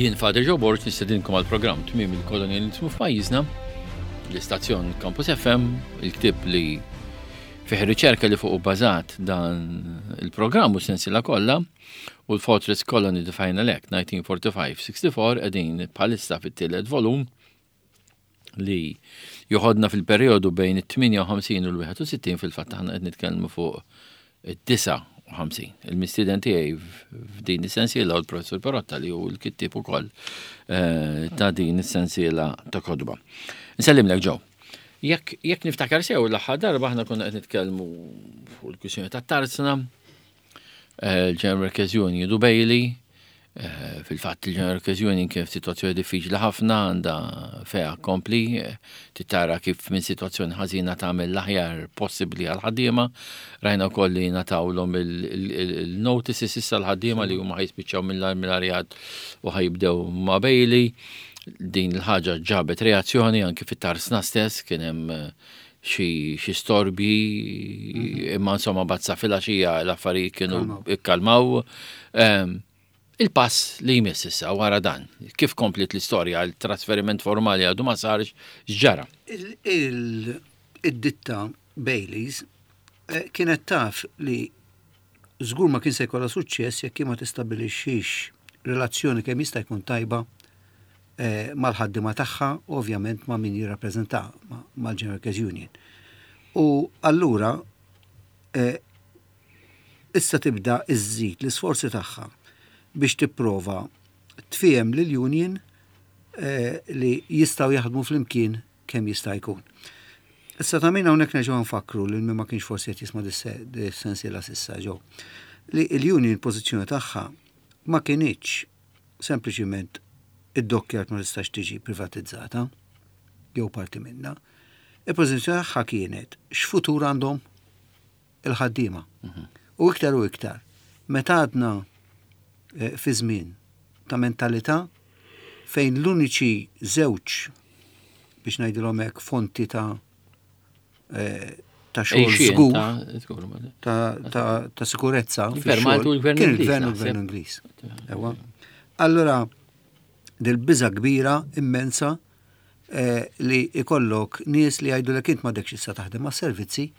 Jien Father Joe Borg nistedinkom għal programm Tmiem il-Kolonjalizmu f'pajjiżna, l-istazzjon Campus FM, il-ktieb li fih riċerka li fuq bażat dan il-programm u sensiela kollha u l-Fortress Colony The Final Act 1945-64 qegħdin bħalissa fit-tielet volum li joħodna fil-perjodu bejn it-58 u l-61 fil-fatt aħna qed nitkellmu fuq it-59. Il-mistieden tiegħi f'din is-sensiela u l-Professur Perotta li hu l-kittieb ukoll eh, ta' din is-sensiela ta' kotba. Nsellimlek ġew. Jekk jekk niftakar sew l-aħħar darba aħna konna qed nitkellmu fuq il-kwistjoni tat-tarzna, eh, il-General Workers Union u Bailey, eh, fil-fatt il-General Workers Union kien f'sitwazzjoni diffiċli ħafna għandha feha kompli, eh, titara kif minn sitwazzjoni ħażina tagħmel l-aħjar possibbli għal ħaddiema. Rajna wkoll li natawlhom il-notices issa l-ħaddiema li huma ħajspiċċaw mill-arjat u ħajibdew ma' Bailey. Din il-ħaġa ġabet reazzjoni anki fit-tarsna stess kien hemm xi storbji, imma insomma bazza filgħaxija l-affarijiet kienu ikkalmaw. Ehm, il-pass li jmiss issa wara dan, kif komplit l-istorja, il-trasferiment formali għadu ma sarx, x'ġara? Il-ditta Baileys eh, kienet taf li żgur ma kien se jkollha suċċess jekk ma tistabilixxix relazzjoni kemm jista' jkun tajba eh, mal-ħaddiema tagħha u ovvjament ma' min jirrappreżenta mal-General Workers Union. U allura eh, issa tibda iżżid l-isforzi tagħha biex tipprova tfiem lil union eh, li jistgħu jaħdmu flimkien kemm jista' jkun. Issa ta' min hawnhekk nerġgħu nfakru lil min ma kienx forsi qed jisma' dis-sensiela s'issa ġew li l-union pożizzjoni tagħha ma kinitx sempliċiment id-dockyard ma tistax tiġi privatizzata jew parti minnha. Il-pożizzjoni tagħha kienet x'futur għandhom il-ħaddiema. Mhm. U iktar u iktar, meta għadna eh, fi żmien ta' mentalità fejn l-uniċi żewġ biex ngħidilhom hekk fonti ta' eh, ta' xogħol żgur ta' sikurezza. Kien il-gvern u l-gvern Ingliż. Allora, dil-biża kbira immensa eh, li ikollok nies li jgħidu li int m'għadekx issa taħdem ma' servizzi,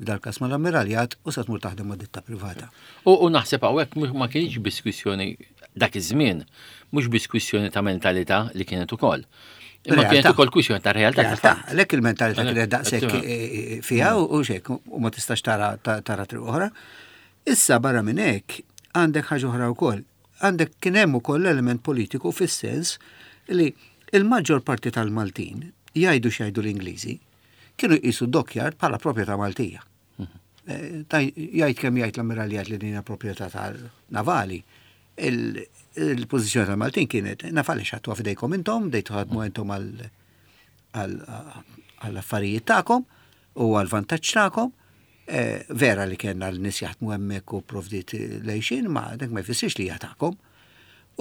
f'dal-każ mal-ammiraljat u sa tmur taħdem ma' ditta privata. U naħseb hawnhekk ma kienx biss kwistjoni dak iż-żmien, mhux biss kwistjoni ta' mentalità li kienet ukoll. Imma kienet ukoll kwistjoni ta' realtà. Realtà, għalhekk il-mentalità kienet daqshekk eh, eh, fiha u xek u ma tistax tara tara triq oħra. Issa barra minn hekk għandek ħaġa oħra wkoll. Għandek kien hemm ukoll element politiku fis-sens li il-maġġor parti tal-Maltin jgħidu x'jgħidu l-Ingliżi kienu jqisu dockyard bħala proprjetà Maltija. Mhm. Eh, jgħid kemm jgħid l-ammiraljat li din proprjetà tal-navali, il-pożizzjoni tal-Maltin kienet nafali xattu f'idejkom intom, dejtu ħadmu intom għall-affarijiet tagħkom u għall-vantaġġ tagħkom. Eh, vera li kellna l-nies jaħdmu hemmhekk u provdiet lejxin, ma dak ma jfissirx li hija tagħkom.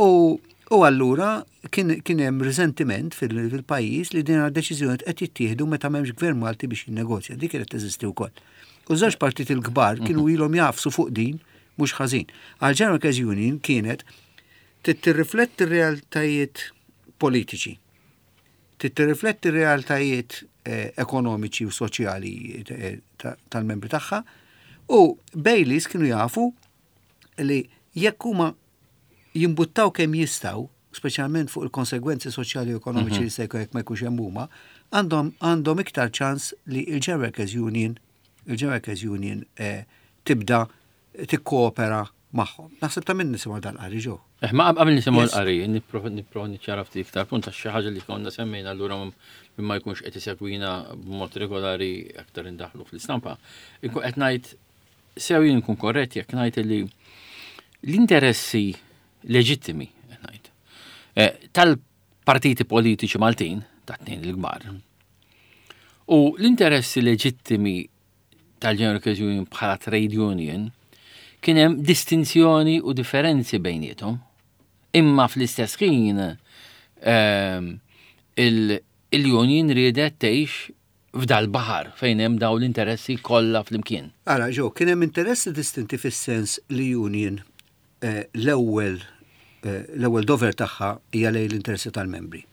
U, u allura kien, kien hemm riżentiment fil-pajjiż li din deċiżjoni qed jittieħdu meta m'hemmx gvern Malti biex jinnegozja. Dik kienet teżisti wkoll. U żewġ partit il-kbar kienu mhm. ilhom jafsu fuq din mhux ħażin. Għal General Workers Union kienet tirrifletti r-realtajiet politiċi, tirrifletti r-realtajiet eh, ekonomiċi u soċjali eh, tal-membri tagħha u Baileys kienu jafu li jekk huma jimbuttaw kemm jistgħu, speċjalment fuq il-konsegwenzi soċjali u ekonomiċi mhm. li se jkun jekk ma jkunx hemm huma, għandhom għandhom iktar ċans li il-General Workers Union il-General Workers Union eh, tibda tikkoopera magħhom. Naħseb ta' minn nisimgħu dal-qari ġew. Eh, ma qabel nisimgħu l-qari, nipprova niċċara ftit iktar punt għax xi ħaġa li konna semmejna allura min ma jkunx qed isegwina b'mod regolari aktar indaħlu fl-istampa. Inkun qed ngħid sew jien nkun korrett jekk ngħid li l-interessi leġittimi ngħid eh, tal-partiti politiċi Maltin ta' tnejn il-kbar u l-interessi leġittimi tal-General Workers Union bħala trade union kien hemm distinzjoni u differenzi bejniethom. Imma fl-istess ħin ehm, il-union riedet tgħix f'dal-baħar fejn hemm dawn l-interessi kollha flimkien. Ara, Joe, kien hemm interessi distinti fis-sens li union eh, l-ewwel eh, l-ewwel dover tagħha hija lejn l-interessi tal-membri.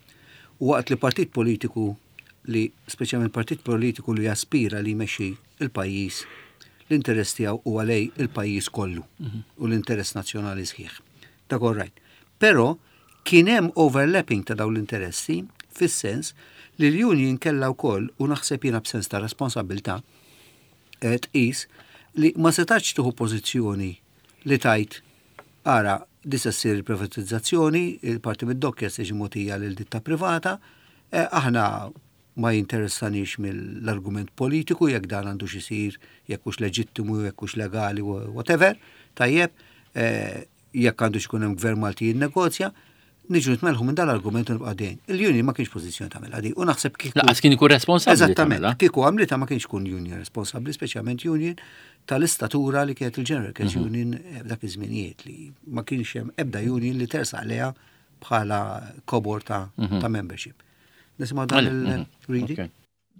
U waqt li partit politiku li speċjalment partit politiku li jaspira li jmexxi il-pajjiż, l-interess tiegħu huwa lejn il-pajjiż kollu u l-interess nazzjonali sħiħ. Dak all right. Però kien hemm overlapping ta' dawn l-interessi fis-sens li l-union kellha wkoll u naħseb jiena b'sens ta' responsabilità eh, tqis li ma setax tieħu pożizzjoni li tajt ara di se ssir il-privatizzazzjoni, il-parti mid-dockja se tiġi mogħtija lil ditta privata, eh, aħna ma jinteressanix mill-argument politiku jekk dan għandux isir, jekk hux leġittimu, jekk hux legali, whatever, tajjeb, eh, jekk għandux ikun hemm gvern Malti jinnegozja, niġu nitmelħu minn dal-argument u nibqa' dejn. Il-union ma kienx pożizzjoni tagħmilha di u naħseb kieku. Laqas kien ikun responsabbli. Eżattament, kieku għamlitha ma kienx ikun union responsabbli, speċjalment union tal-istatura li kienet il-General Workers mhm. Union eh, f'dak iż-żminijiet li ma kienx hemm ebda union li tersaq leha bħala kobor ta', mhm. ta membership. Nisimgħu dan mhm. il-reading.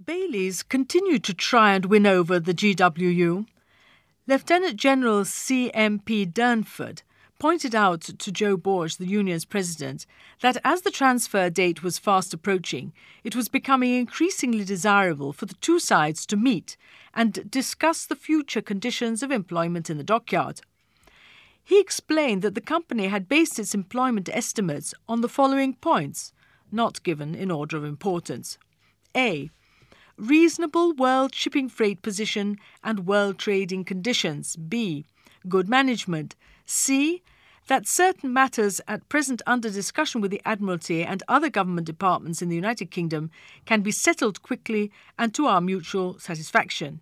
Baylies continued to try and win over the GWU. Lieutenant General C.M.P. Durnford pointed out to Joe Borg, the union's president, that as the transfer date was fast approaching, it was becoming increasingly desirable for the two sides to meet and discuss the future conditions of employment in the dockyard. He explained that the company had based its employment estimates on the following points, not given in order of importance. A. Reasonable world shipping freight position and world trading conditions. B. Good management. C. That certain matters at present under discussion with the Admiralty and other government departments in the United Kingdom can be settled quickly and to our mutual satisfaction.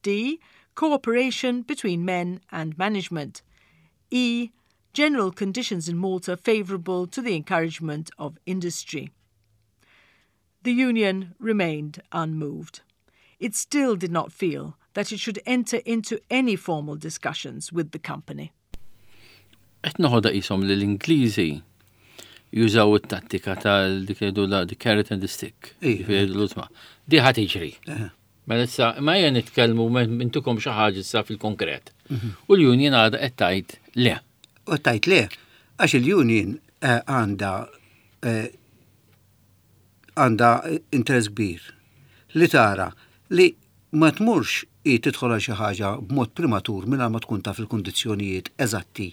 D. Cooperation between men and management. E. General conditions in Malta favourable to the encouragement of industry. The union remained unmoved. It still did not feel that it should enter into any formal discussions with the company. Qed noħodha qishom li l-Ingliżi jużaw it-tattika tal dik jgħidu la the carrot and the stick. Jiġifieri Di ħa tiġri. Mela issa, ma ejja nitkellmu intukom xi ħaġa issa fil-konkret. Mhm. U l-union għadha qed tgħid le. U tgħid le, għax il-union eh, għandha eh, għandha interess kbir li tara li ma tmurx hi tidħol għal xi ħaġa b'mod primatur mingħajr ma tkun taf il-kundizzjonijiet eżatti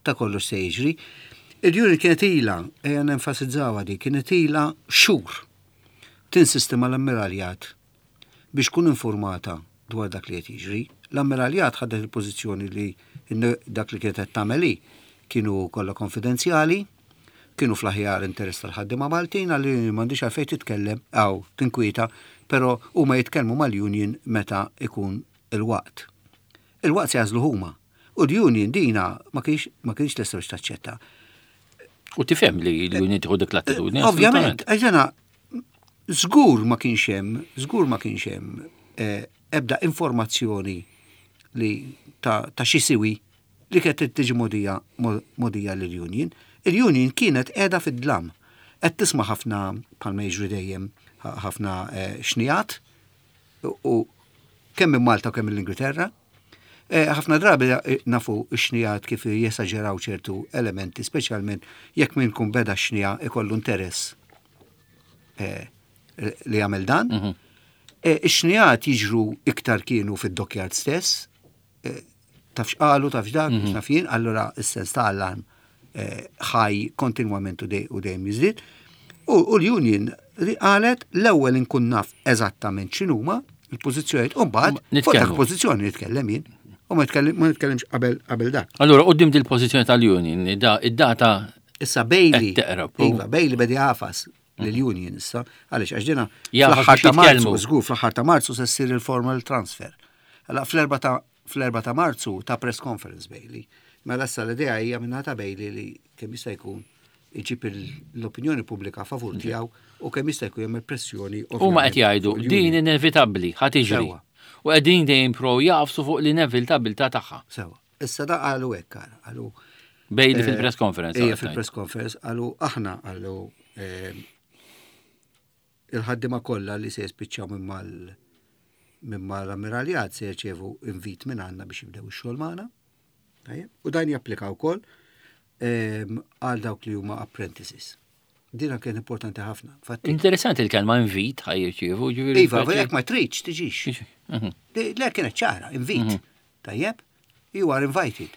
ta' kollox se jiġri. Il-union kienet ilha, ejja nenfasizzawha di, kienet ilha xhur tinsisti mal-Ammiraljat biex tkun informata dwar dak li qed jiġri. L-Ammiraljat ħadet il-pożizzjoni li dak li kienet qed tagħmel hi kienu kollha konfidenzjali, kienu fl-aħjar interess tal-ħaddiema Maltin għalli m'għandix għalfejn titkellem aw tinkwieta, però huma jitkellmu mal-union meta ikun il-waqt. Il-waqt se jagħżlu huma. U l-union dina ma kienx ma kienx lesta biex taċċetta. U tifhem li l-union tieħu dik l-attitudni. Ovvjament, għax żgur ma kienx hemm, żgur ma kienx hemm eh, ebda informazzjoni li ta', ta xi siwi li kienet tiġi mogħdija mogħdija lill-union. Il-union kienet qiegħda fid-dlam. Qed tisma' ħafna bħalma jiġri dejjem ħafna eh, xnijat u kemm minn Malta u kemm mill-Ingilterra. Eh, ħafna drabi eh, nafu x-xnijat kif jesaġeraw ċertu elementi, speċjalment jekk min kun beda xnija ikollu interess li jagħmel dan. Mhm. Ix-xnijat jiġru iktar kienu fid-dockyard stess, taf x'qalu, taf x'dak, mm -hmm. naf jien, allura s-sens ta' allarm eh, ħaj kontinwament u dejjem jiżdied. U l-union li qalet l-ewwel inkun naf eżattament x'inhuma il-pożizzjonijiet u mbagħad fuq dak pożizzjoni nitkellem jien. U ma nitkellimx qabel qabel dak. Allura qudiem dil-pożizzjoni tal-union, id-data Issa Bailey, iva, Bailey bedi għafas lill-union issa, għaliex għax dina fl-aħħar ta' Marzu, żgur fl-aħħar ta' Marzu se ssir il-formal transfer. Allora fl-erba ta' fl-erba ta' Marzu ta' press conference Bailey. Mela issa l-idea hija minna ta' Bailey li kemm jista' jkun iġib l-opinjoni pubblika favur tiegħu u kemm jista' jkun jagħmel pressjoni. Huma qed jgħidu din inevitabbli ħa tiġri. U qegħdin dejjem pro jaqfsu fuq l-inevitabilità tagħha. Sewa. Issa da qalu hekk qalu. Bailey eh, fil-press conference. Ejja fil-press conference qalu aħna qalu eh, il-ħaddima kollha li se jispiċċaw minn mal minn mal-ammiraljat se jirċievu invit minn għandna biex jibdew ix-xogħol magħna. U dan japplika wkoll għal dawk li huma apprentices. Dina kien importanti ħafna. Interessanti il-kelma invit ħaj jirċievu. Ġifieri iva, jekk ma tridx tiġix. Le kienet ċara, invit. Tajjeb, you are invited.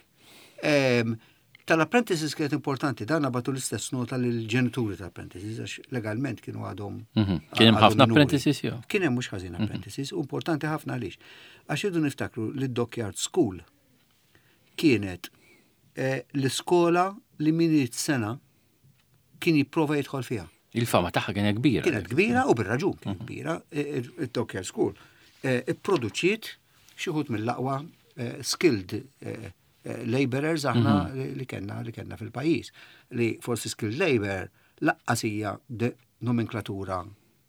Tal-apprentices kienet importanti, dan bagħtu l-istess nota lill-ġenituri tal-apprentices, għax legalment kienu għadhom. Kien hemm ħafna apprentices jew? Kien hemm mhux ħażin apprentices, u importanti ħafna għaliex. Għax irridu niftakru li d-Dockyard School kienet l-iskola li min irid sena kien jipprova jidħol fiha. Il-fama tagħha kienet kbira. Kienet kbira u bir-raġun kienet kbira. Il-Dockyard School ipproduċiet xi wħud mill-aqwa skilled laborers aħna li kellna li kellna fil-pajjiż. Li forsi skilled labor lanqas hija nomenklatura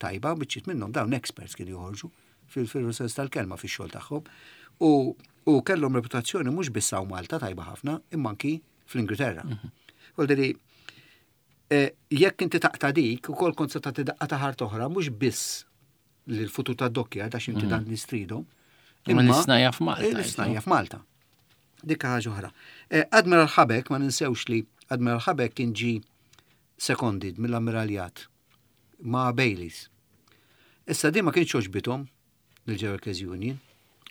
tajba, biċċiet minnhom dawn experts kienu joħorġu fil-sens tal-kelma fix-xogħol tagħhom. U kellhom reputazzjoni mhux biss hawn Malta tajba ħafna, imma anki fl-Ingilterra. Vuol jekk inti taqta' dik, ukoll kont se tagħti daqqa ta' ħart oħra, mhux biss l-futur ta' dockyard għax inti dan nistridhom. Imma l-isnajja f'Malta. L-isnajja f'Malta. Dik ħaġa oħra. Admiral Habeck, ma ninsewx li Admiral Habeck kien ġi seconded mill-ammiraljat ma' Baileys. Issa di ma kienx għoġbithom lill-Workers Union.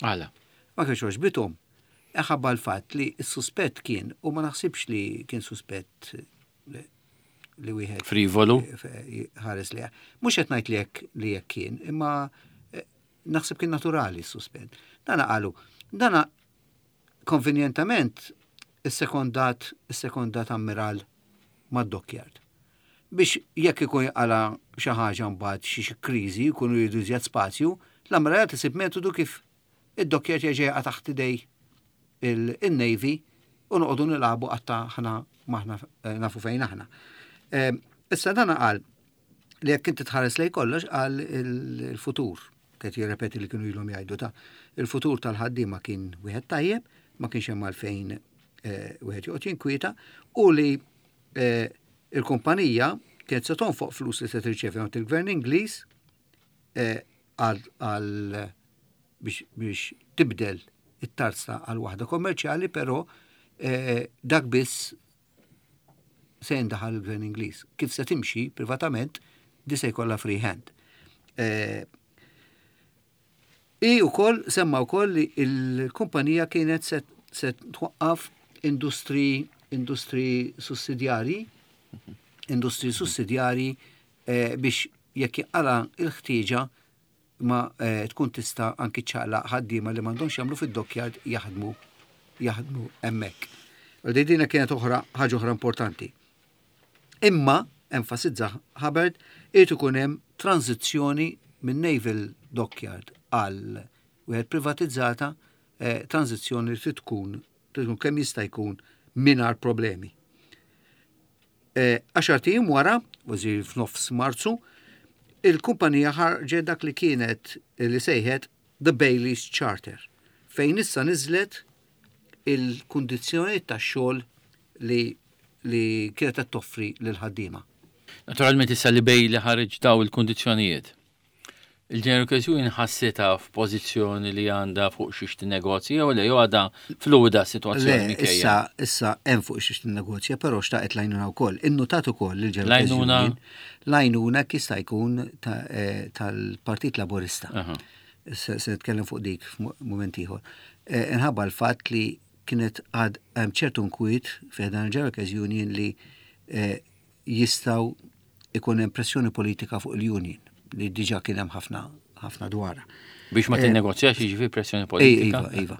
Għala? Ma kienx għoġbithom. Ħabba l-fatt li s-suspett kien, u ma naħsibx li kien suspett li wieħed frivolu ħares li mhux qed ngħid li hekk li hekk kien, imma naħseb kien naturali s-suspett. Dana qalu, dana konvenjentament is-sekondat ammiral mad-dockyard. Biex jekk ikun jaqala xi ħaġa mbagħad xi kriżi jkunu jridu iżjed spazju, l-ammiraljat isib metodu kif id-dockyard jerġa' jaqa' taħt idej il-Navy u noqogħdu nilagħbu qatta ħna maħna nafu fejn aħna. Issa dana qal li jekk inti tħares lej kollox qal il-futur, qed jirrepeti li kienu ilhom jgħidu ta' il-futur tal-ħaddiema kien wieħed tajjeb, ma kienx hemm għalfejn wieħed joqgħod jinkwieta u li il-kumpanija kienet se tonfoq flus li se tirċevi għand il-Gvern Ingliż għal biex tibdel it-tarzna għal waħda kommerċjali, però dak biss se jindaħal il-Gvern Ingliż. Kif se timxi privatament, di se jkollha free hand. I wkoll semma wkoll li l-kumpanija kienet se twaqqaf industri sussidjari, industri sussidjari biex jekk jinqala il-ħtieġa ma tkun tista' anki ċaqlaq ħaddiema li m'għandhomx jagħmlu fid-dockyard jaħdmu hemmhekk. Di dina kienet oħra ħaġa oħra importanti. Imma, enfasizza Hubbard, irid ikun hemm tranzizzjoni minn Naval Dockyard għal wieħed privatizzata, tranzizzjoni li trid tkun kemm jista' jkun mingħajr problemi. 10 ijiem wara, kważi f'nofs Marzu, il-kumpanija ħarġet dak li kienet li sejħet The Baileys Charter, fejn issa niżlet il-kundizzjonijiet tax-xogħol li kienet qed toffri lil ħaddiema. Naturalment issa li Bailey ħareġ daw il-kundizzjonijiet. Il-General Workers Union ħassitha f'pożizzjoni li għandha fuq xiex tinnegozja jew le jew għadha fluida sitwazzjoni Le, minkejja. issa hemm fuq xiex tinnegozja, però xtaqet l-għajnuna wkoll. Innutat ukoll il-General Workers L-għajnuna? Union, l-għajnuna jista' jkun tal-Partit Laburista. Se nitkellem fuq dik f'mument ieħor. Inħabba l-fatt li kienet għad hemm ċertu nkwiet fi dan il-General Workers Union li jistgħu ikun hemm pressjoni politika fuq il-union li diġà kien hemm ħafna ħafna dwarha. Biex ma tinnegozjax jiġifieri pressjoni politika. Iva, iva.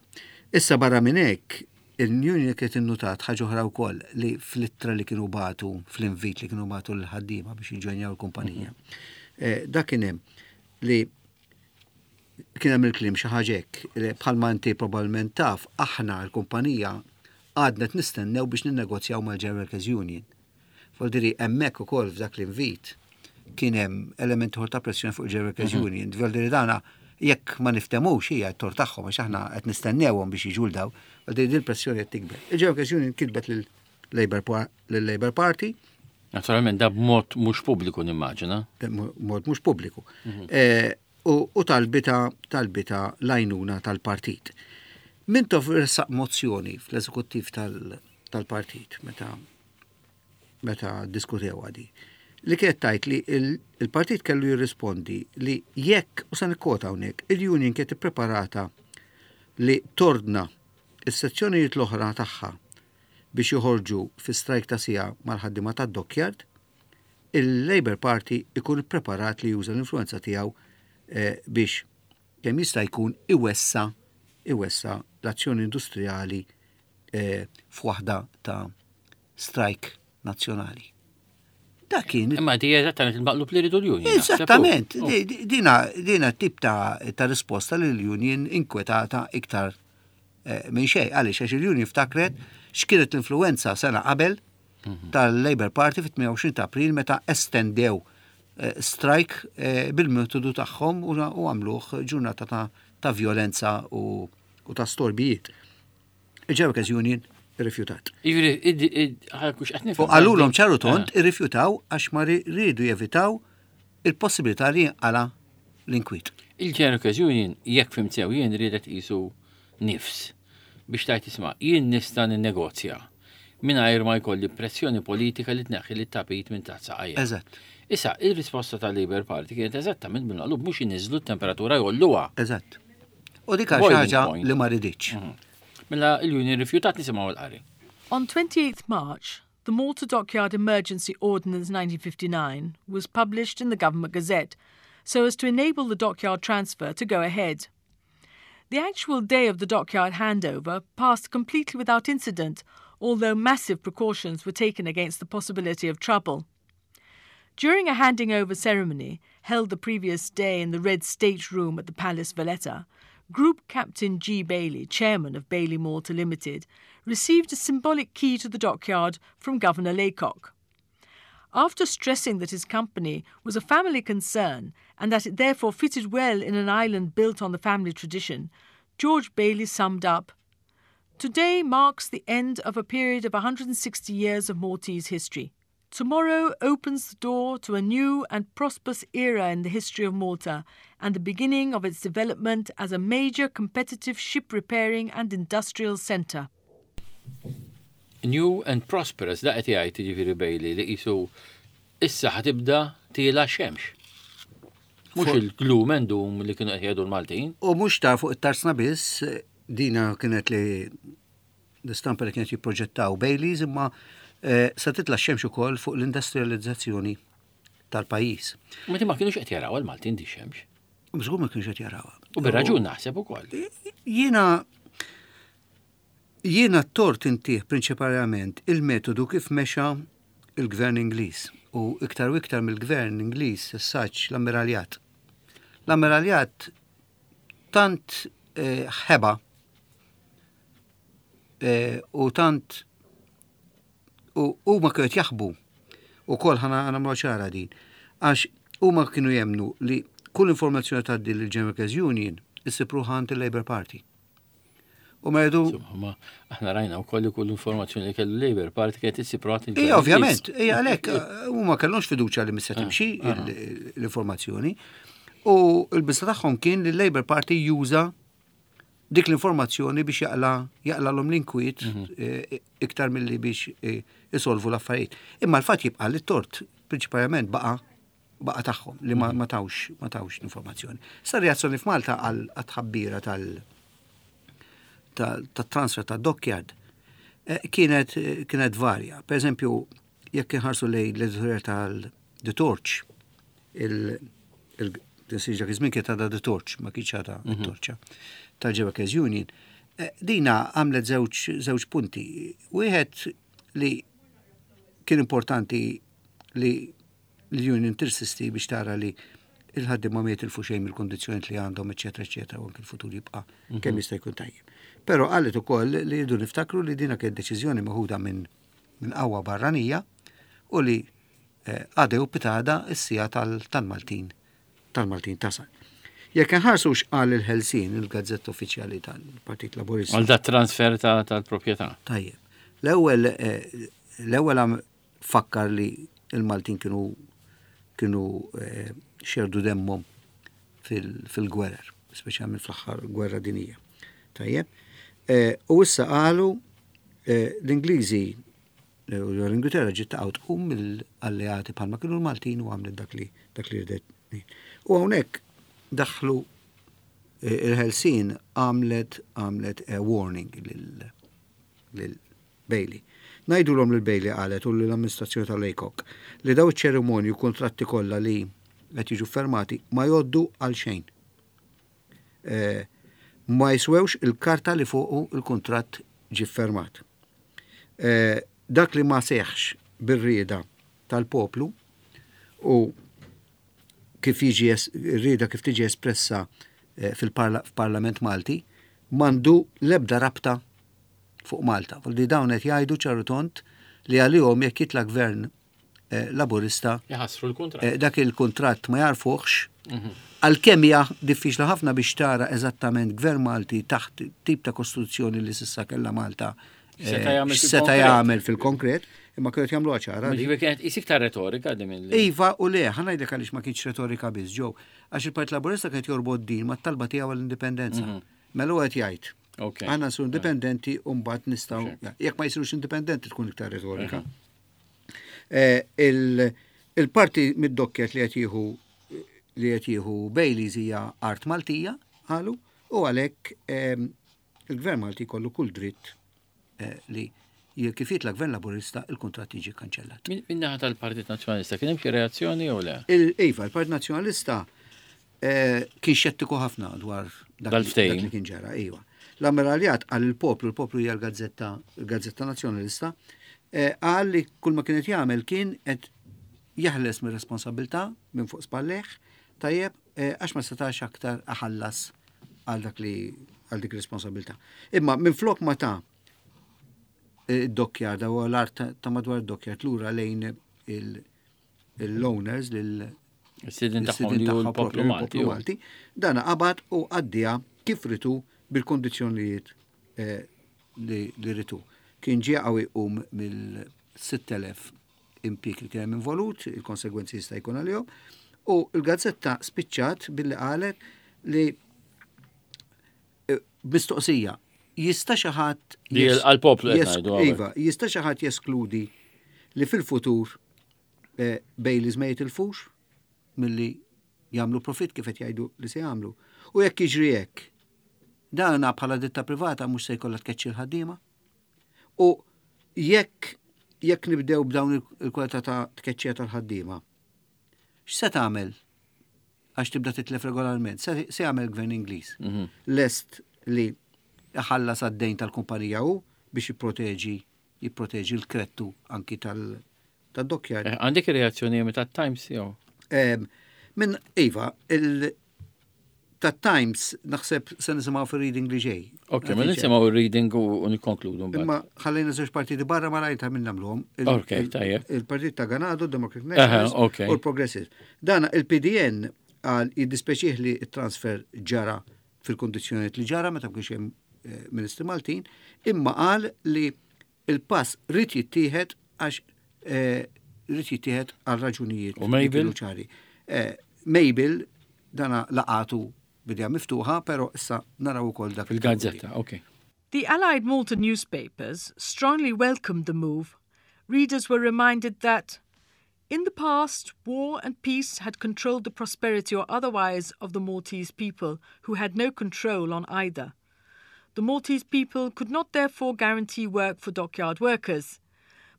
Issa barra minn hekk, il-union kienet innutat ħaġa oħra wkoll li fl-ittra li kienu bagħtu, fl-invit li kienu bagħtu l-ħaddiema biex jiġġojnjaw il-kumpanija. Dak kien hemm li kien hemm il-kliem xi ħaġa hekk, li bħalma inti probabbilment taf, aħna l-kumpanija għadna qed nistennew biex ninnegozjaw mal-General Workers Union. Vuol dire hemmhekk ukoll f'dak l-invit kien hemm element ieħor ta' pressjoni fuq il-General Workers Union. Vuol dire dana jekk ma niftemux hija t-tort tagħhom għax aħna qed nistennewhom biex jiġu l daw. Vuol dire din il-pressjoni qed tikber. Il-General Workers Union kitbet lil Labour Party. Naturalment da b'mod mhux pubbliku nimmaġina. Mod mhux pubbliku. U talbita l-għajnuna tal-partit. Mintoff ressaq mozzjoni fl-eżekuttiv tal-partit meta meta diskutew di li kienet tajt li il-partit kellu jirrispondi li jekk, u sa nikkota hawnhekk, il-union kienet ippreparata li tordna is-sezzjonijiet l-oħra tagħha biex joħorġu fi strajk ta' siegħa mal-ħaddiema tad-dockyard, il-Labour Party ikun ippreparat li juża l-influenza tiegħu eh, biex kemm jista' jkun iwessa iwessa l-azzjoni industrijali eh, f'waħda ta' strajk nazzjonali. Dak kien. Imma di eżattament il-maqlub li ridu l-union. Eżattament, oh. dina dina tip ta', ta risposta li l-union inkwetata iktar eh, minn xejn. Għaliex għax il-union ftakret x'kienet l-influenza sena qabel mhm. tal-Labour Party fit-28 ta' April meta estendew eh, strike eh, bil-metodu tagħhom u għamluh ġurnata ta', ta violenza u, u ta' storbijiet. Il-Workers Union irrifjutat. U qalulhom ċaru tont eh. irrifjutaw għax ma rridu jevitaw il-possibilità li jinqala l-inkwiet. Il-Workers Union jekk fim sew jien riedet qisu nifs biex tajt isma' jien nista' ninnegozja mingħajr ma jkolli pressjoni politika li tneħħi li tapit minn taħt saqajja. Eżatt. Issa, il-risposta tal-Labour Party kienet eżattament minn qalub mhux iniżlu t-temperatura jolluha. Eżatt. U dik ħaġa li ma riditx. Mhm. Mela il-Union rifjutat nisimgħu l-qari. On 28 March, the Malta Dockyard Emergency Ordinance 1959 was published in the Government Gazette so as to enable the dockyard transfer to go ahead. The actual day of the dockyard handover passed completely without incident, although massive precautions were taken against the possibility of trouble. During a handing over ceremony held the previous day in the Red State Room at the Palace Valletta, Group Captain G. Bailey, chairman of Bailey Malta Limited, received a symbolic key to the dockyard from Governor Laycock. After stressing that his company was a family concern and that it therefore fitted well in an island built on the family tradition, George Bailey summed up Today marks the end of a period of 160 years of Maltese history. Tomorrow opens the door to a new and prosperous era in the history of Malta and the beginning of its development as a major competitive ship repairing and industrial centre. New and prosperous, da qed jgħid jiġifieri Bailey li qisu issa ħa tibda tiela' x-xemx. Mhux il-gloom and doom li kienu qed jgħidu l-Maltin. U mhux ta' fuq it-tarsna biss, dina kienet li l-istampa li kienet jipproġettaw Baileys imma eh, se titla' x-xemx ukoll fuq l-industrializzazzjoni tal-pajjiż. Ma ma kienux qed jaraw il-Maltin di xemx. Żgur ma kienux qed jarawha. U bir-raġun naħseb ukoll. Jiena jiena t-tort intih prinċipalment il-metodu kif mexa il-gvern Ingliż u iktar u iktar mill-gvern Ingliż saċ l-ammiraljat. L-ammiraljat tant eh, ħeba Eh, u tant u huma kienu qed jaħbu ukoll ħana nagħmlu ċara din. Għax huma kienu jemnu li kull informazzjoni tgħaddi lil General Workers Union issib ruħha għand il-Labour Party. U ma jgħidu. Ma aħna rajna wkoll li kull informazzjoni li kellu Labour Party kienet issib ruħha Ija, ovvjament, ija għalhekk eh, huma kellhomx fiduċja li mista ah, timxi ah. l-informazzjoni. U l-biża tagħhom kien li l-Labour Party juża dik l-informazzjoni biex jaqla jaqlalhom l-inkwiet mhm. eh, iktar milli biex eh, isolvu l-affarijiet. Imma l-fatt jibqa' li t-tort prinċipalment baqa' baqa' tagħhom li ma mhm. tawx ma tawx l-informazzjoni. Sa reazzjoni f'Malta għal tħabbira tal tat-transfer ta' dockyard eh, kienet kienet varja. Per eżempju, jekk inħarsu lejn l-editorial tal-The Torch, il-dak iż-żmien kienet għadha The Torch, ma kienx għadha mhm. torċa tal-Ġewekers Union. Eh, dina għamlet żewġ punti. Wieħed li kien importanti li l-union tirsisti biex tara li il-ħaddiema ma jitilfu xejn mill-kondizzjoni li għandhom, eċetera, eċetera, u anke l-futur jibqa' mhm. kemm jista' jkun tajjeb. Però qalet ukoll li jridu niftakru li dina kienet deċiżjoni meħuda minn minn qawwa barranija u li eh, għada jew pitada s-sija tal-Maltin tal-Maltin tasal. Jekk inħarsu x'qal il-Ħelsien, il-gazzetta uffiċjali tal-Partit Laburista. Għal dat transfer tal-proprjetà. Tajjeb. L-ewwel eh, l-ewwel fakkar li il-Maltin kienu kienu eh, xerdu demmhom fil-gwerer, speċjalment fl-aħħar gwerra dinija. Tajjeb. U issa qalu Eh, l-Ingliżi L-Ingilterra ġiet taqgħu tqum mill-alleati bħalma kienu l-Maltin u għamlet dak li dak li ridet. U hawnhekk daħlu eh, il-Ħelsien għamlet għamlet warning lil Bailey. Ngħidulhom lil Bailey qalet u lill-amministrazzjoni tal-Laycock li daw iċ-ċerimonji u kuntratti kollha li qed jiġu fermati ma jgħoddu għal xejn. Eh, ma jiswewx il-karta li fuqu il-kuntratt ġie fermat. Eh, dak li ma seħx bir-rieda tal-poplu u kif jiġi rieda kif tiġi espressa eh, fil-Parlament Malti mandu lebda rabta fuq Malta. Li dawn qed jgħidu ċaru tond li għalihom jekk jitla' gvern eh, Laburista Jħassru l-kuntratt. Eh, dak il-kuntratt ma jarfuħx. Mhm. Għalkemm hija diffiċli ħafna biex tara eżattament gvern Malti taħt tip ta' kostituzzjoni li s'issa kellha Malta eh, seta' jagħmel fil-konkret, imma kienu jagħmlu ċara. Kienet isik ta' retorika din mill Iva u le, ħa ngħidlek għaliex ma kienx retorika biss ġew. Għax il-Partit Laburista kienet jorbot din mat-talba tiegħu għall-indipendenza. Mhm. Mela qed jgħid. Għandna nsiru indipendenti u mbagħad nistgħu jekk ma jsirux indipendenti tkun iktar retorika. Eh, il-parti mid-docket li qed jieħu li qed jieħu Baileys hija art Maltija, qalu, u għalhekk ehm, il-Gvern Malti jkollu kull dritt eh, li kif jitla gvern laburista il-kuntratt jiġi kanċellat. Min-naħa tal-Partit Nazzjonalista kien hemm xi reazzjoni jew le? Iva, il-Partit Nazzjonalista eh, kien xettiku ħafna dwar dak li kien ġara, iva. L-ammiraljat għal il-poplu, il-poplu hija l-gazzetta, il-Gazzetta Nazzjonalista, eh, qal li kull ma kienet jagħmel kien qed jeħles mir-responsabilità minn fuq spalleh, tajjeb, eh, għax ma setax aktar aħallas għal dak li għal dik responsabilità. Imma minn flok ma ta' id-dokkjar da l-art ta' madwar id-dokkjar lura lejn l-owners lil Is-sidin tagħhom li l-poplu Malti. Malti, dan qabad u għaddija kif ritu bil-kondizzjonijiet eh, li ritu. Kien ġie qawwi jqum mill-6000 impjieg li kien hemm involut, il-konsegwenzi jista' jkun għalihom, u l-gazzetta spiċċat billi qalet li eh, mistoqsija, jista' xi ħadd għall-poplu Iva, jista' xi ħadd jeskludi li fil-futur eh, Baileys ma jitilfux milli jagħmlu profit kif qed jgħidu li se jagħmlu. U jekk jiġri hekk, dana bħala ditta privata mhux se jkollha tkeċċi l-ħaddiema. U jekk jekk nibdew b'dawn il-kwalità ta' tkeċċija tal-ħaddiema, x'se tagħmel għax tibda titlef regolarment? Se jagħmel gvern Ingliż. Mhm. Lest li iħallas għad-dejn tal-kumpanija hu biex jipproteġi jipproteġi l-krettu anki tal-dockyard. Eh, għandek reazzjoni ta' Times jew? Minn Iva, il ta' Times naħseb se nisimgħu fir-reading li ġej. Ok, ma mela nisimgħu ir-reading u nikkonkludu mbagħad. Imma ħallejna żewġ partiti barra ma rajta minn nagħmluhom. Ok, tajjeb. Il-Partit ta' Ganado, Democratic Nationalist u l-Progressive. Dana il-PDN għal jiddispeċih li t-transfer ġara fil-kondizzjonijiet li ġara meta kienx hemm eh, Ministri Maltin, imma qal li il-pass rrid jittieħed għax eh, rrid jittieħed għal raġunijiet. U Mabel? ċari. Eh, Mabel dana laqatu bidja miftuħa, pero issa naraw ukoll dak. Il-gazzetta, ok. The Allied Malta newspapers strongly welcomed the move. Readers were reminded that in the past, war and peace had controlled the prosperity or otherwise of the Maltese people, who had no control on either. The Maltese people could not therefore guarantee work for dockyard workers.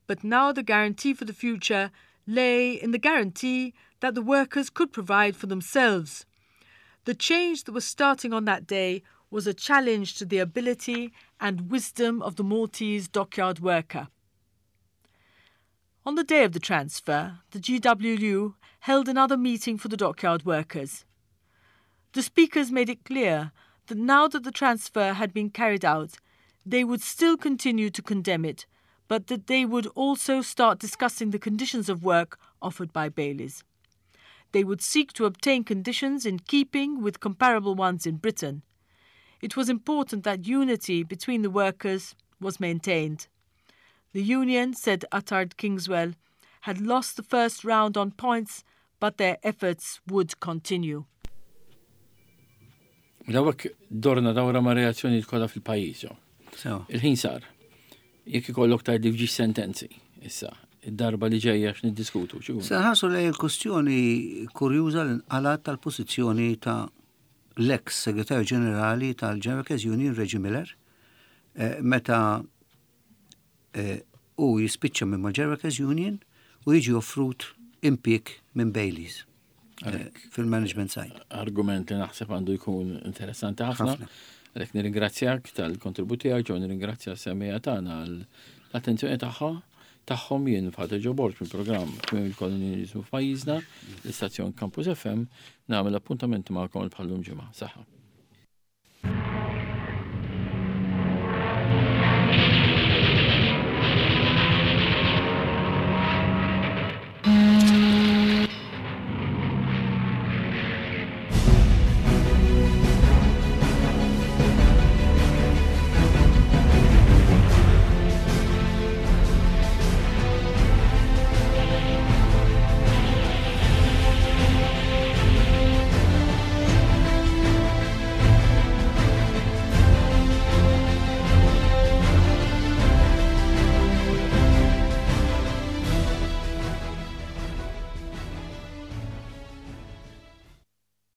But now the guarantee for the future lay in the guarantee that the workers could provide for themselves. The change that was starting on that day was a challenge to the ability and wisdom of the Maltese dockyard worker. On the day of the transfer, the GWU held another meeting for the dockyard workers. The speakers made it clear that now that the transfer had been carried out, they would still continue to condemn it, but that they would also start discussing the conditions of work offered by Baileys. They would seek to obtain conditions in keeping with comparable ones in Britain. It was important that unity between the workers was maintained. The union, said Attard Kingswell, had lost the first round on points, but their efforts would continue. Dawk dorna dawra ma' reazzjoni kollha fil-pajjiż. Il-ħin sar. Jekk ikollok tgħidli f'ġiex sentenzi. Issa, id-darba li ġejja x'niddiskutu. Se nħarsu lejn il-kustjoni kurjuża li nqalat tal-pożizzjoni ta' l-ex segretarju ġenerali tal-General Workers Union Reggie Miller eh, meta eh, u jispiċċa minn mal-General Workers Union u jiġi offrut impjieg minn Baileys eh, fil-management side. Argument li naħseb għandu jkun interessanti ħafna. Għalhekk nirringrazzjak tal-kontribut tiegħek, ġew nirringrazzja s-semmiegħa tagħna għall-attenzjoni tagħha tagħhom jien Father Joe Borg mill-programm Tmiem il-Kolonjaliżmu f'pajjiżna, l-istazzjon Campus FM, nagħmel appuntament magħkom bħallum ġimgħa. Saħħa.